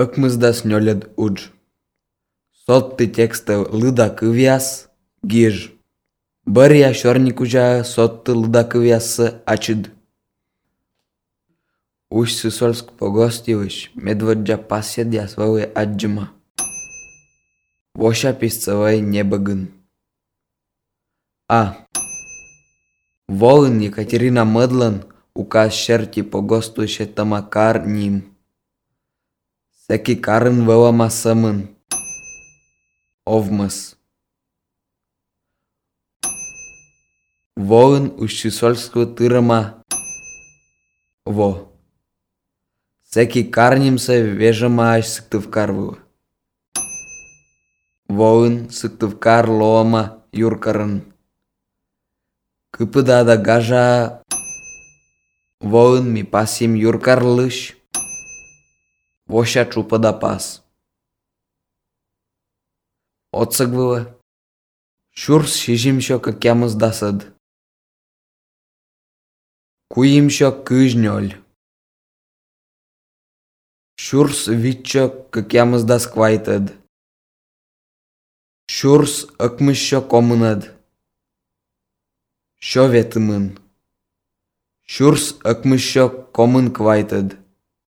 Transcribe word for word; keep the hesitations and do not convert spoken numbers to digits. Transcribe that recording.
Ăкмызда снёлед удж. Сотты текста лыда кывяс гиж. Бырья шорникужа сотты лыда кывясы ачыд. Уж сысольск погостивыш, медводжа паседя свой аджима. Воша писцевой небогын. А. Волын Екатерина Мыдлан указ шерти погостуше тамакар ним. Секи карын вэлама сымын. Овмыс. Волын уж сысольску тырыма. Во. Секи карнимса вежама аж сыктывкарвы. Волын сыктывкар лоама юркарын. Кыпыдада гажа. Волын ми пасим юркарлыш. Воша чупада пас. Отсыгвыла. Шурс шижимшо какямыз дасыд. Куимшо кыжнёль. Шурс витчо какямыз да сквайтыд. Шурс ăкмышшо комынăд. Шо ветымын. Шурс ăкмышшо комын квайтыд.